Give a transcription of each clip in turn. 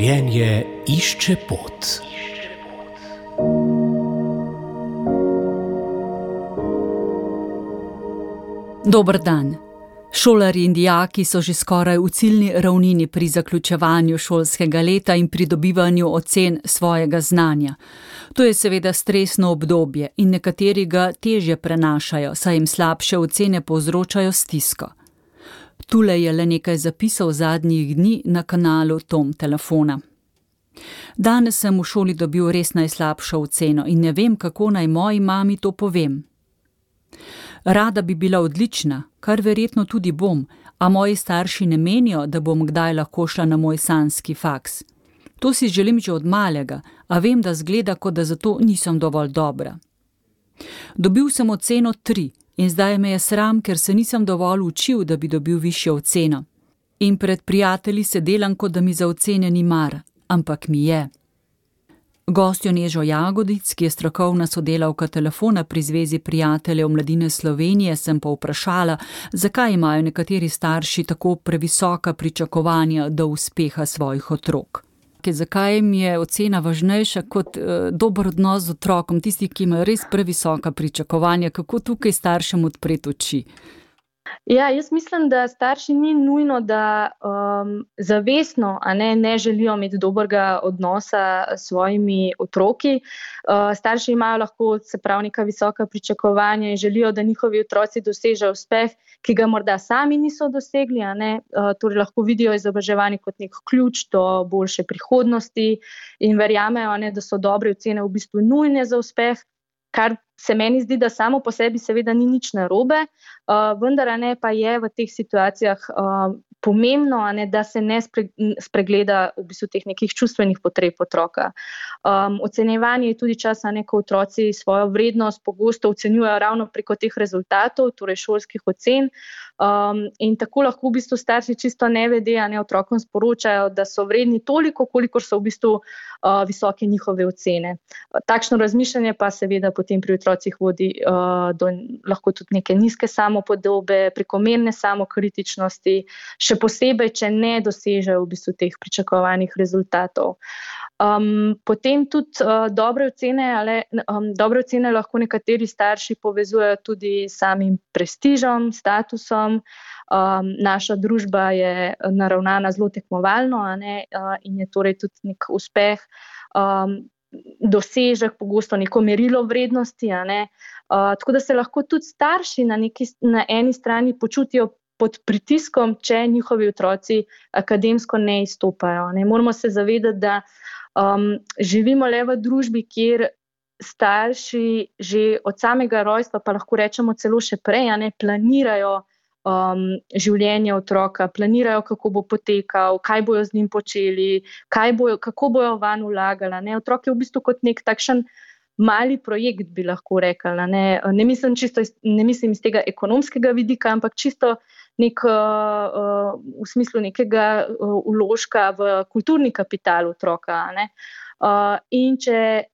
Življenje išče pot. Dober dan. Šolarji in dijaki so že skoraj v ciljni ravnini pri zaključevanju šolskega leta in pridobivanju ocen svojega znanja. To je seveda stresno obdobje in nekateri ga težje prenašajo, saj jim slabše ocene povzročajo stisko. Tule je le nekaj zapisov zadnjih dni na kanalu Tom telefona. Danes sem v šoli dobil res najslabšo oceno in ne vem, kako naj moji mami to povem. Rada bi bila odlična, kar verjetno tudi bom, a moji starši ne menijo, da bom kdaj lahko šla na moj sanjski faks. To si želim že od malega, a vem, da zgleda, kot da zato nisem dovolj dobra. Dobil sem oceno 3 in zdaj me je sram, ker se nisem dovolj učil, da bi dobil višjo oceno. In pred prijatelji se delam, kot da mi za ocene ni mar, ampak mi je. Gostjo Nežo Jagodic, ki je strokovna sodelavka telefona pri Zvezi prijateljev mladine Slovenije, sem pa vprašala, zakaj imajo nekateri starši tako previsoka pričakovanja do uspeha svojih otrok. Zakaj jim je ocena važnejša kot dober odnos z otrokom, tisti, ki imajo res previsoka pričakovanja, kako tukaj staršem odpreti oči? Ja, jaz mislim, da starši ni nujno, da zavestno ne želijo imeti dobrega odnosa s svojimi otroki. Starši imajo lahko, se pravi, neka visoka pričakovanja in želijo, da njihovi otroci dosežejo uspeh, ki ga morda sami niso dosegli. Torej lahko vidijo izobraževanje kot nek ključ do boljše prihodnosti in verjamejo, da so dobre ocene v bistvu nujne za uspeh, kar se meni zdi, da samo po sebi seveda ni nič narobe, vendar pa je v teh situacijah pomembno, da se ne spregleda v bistvu teh nekih čustvenih potreb otroka. Ocenjevanje je tudi čas, ko otroci svojo vrednost pogosto ocenjujejo ravno preko teh rezultatov, torej šolskih ocen, in tako lahko v bistvu starši čisto nevede otrokom sporočajo, da so vredni toliko, kolikor so v bistvu visoke njihove ocene. Takšno razmišljanje pa seveda potem pri otrocih vodi do lahko tudi neke nizke samopodobe, prekomerne samokritičnosti, še posebej, če ne dosežejo v bistvu teh pričakovanih rezultatov. Potem tudi dobre ocene lahko nekateri starši povezujejo tudi s samim prestižem, statusom. Naša družba je naravnana zelo tekmovalno, in je torej tudi nek uspeh, dosežek, pogosto neko merilo vrednosti. Tako da se lahko tudi starši na eni strani počutijo pod pritiskom, če njihovi otroci akademsko ne izstopajo. Moramo se zavedati, da živimo le v družbi, kjer starši že od samega rojstva, pa lahko rečemo celo še prej, planirajo življenje otroka, planirajo, kako bo potekal, kaj bojo z njim počeli, kako bojo vanj vlagali. Otrok je v bistvu kot nek takšen mali projekt, bi lahko rekli. Ne mislim iz tega ekonomskega vidika, ampak čisto v smislu nekega vložka v kulturni kapital otroka. In če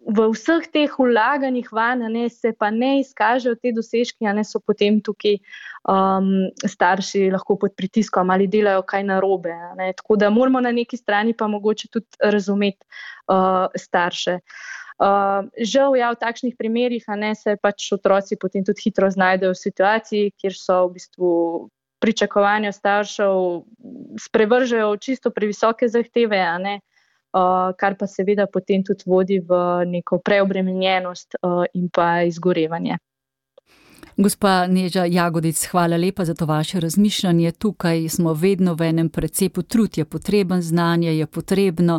v vseh teh vlaganjih vanj se pa ne izkažejo te dosežki, so potem tukaj starši lahko pod pritiskom ali delajo kaj narobe. Tako da moramo na neki strani pa mogoče tudi razumeti starše. Žal, v takšnih primerih se pač otroci potem tudi hitro znajdejo v situaciji, kjer so v bistvu pričakovanja staršev sprevržejo čisto previsoke zahteve, kar pa seveda potem tudi vodi v neko preobremenjenost in pa izgorevanje. Gospa Neža Jagodic, hvala lepa za to vaše razmišljanje. Tukaj smo vedno v enem precepu, trud je potreben, znanje je potrebno,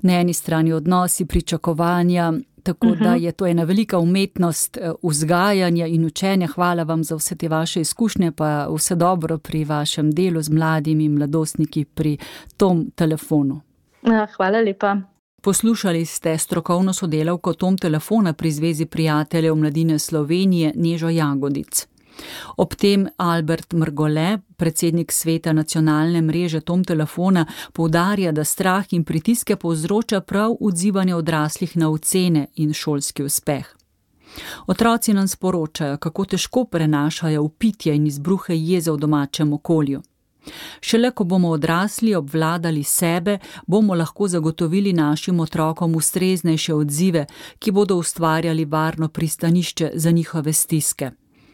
na eni strani odnosi, pričakovanja, tako da je to ena velika umetnost vzgajanja in učenja. Hvala vam za vse te vaše izkušnje, pa vse dobro pri vašem delu z mladimi mladostniki pri Tom telefonu. Hvala lepa. Poslušali ste strokovno sodelavko Tom telefona pri Zvezi prijateljev mladine Slovenije Nežo Jagodic. Ob tem Albert Mrgole, predsednik sveta nacionalne mreže Tom telefona, poudarja, da strah in pritiske povzroča prav odzivanje odraslih na ocene in šolski uspeh. Otroci nam sporočajo, kako težko prenašajo vpitje in izbruhe jeze v domačem okolju. Šele ko bomo odrasli obvladali sebe, bomo lahko zagotovili našim otrokom ustreznejše odzive, ki bodo ustvarjali varno pristanišče za njihove stiske.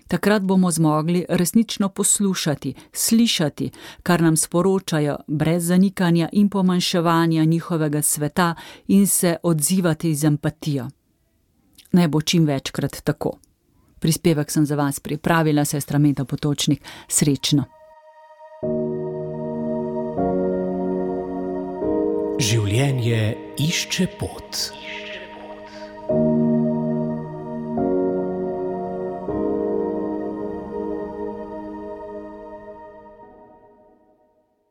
Takrat bomo zmogli resnično poslušati, slišati, kar nam sporočajo, brez zanikanja in pomanjševanja njihovega sveta in se odzivati z empatijo. Naj bo čim večkrat tako. Prispevek sem za vas pripravila, sestra Meta Potočnik. Srečno. Življenje išče pot.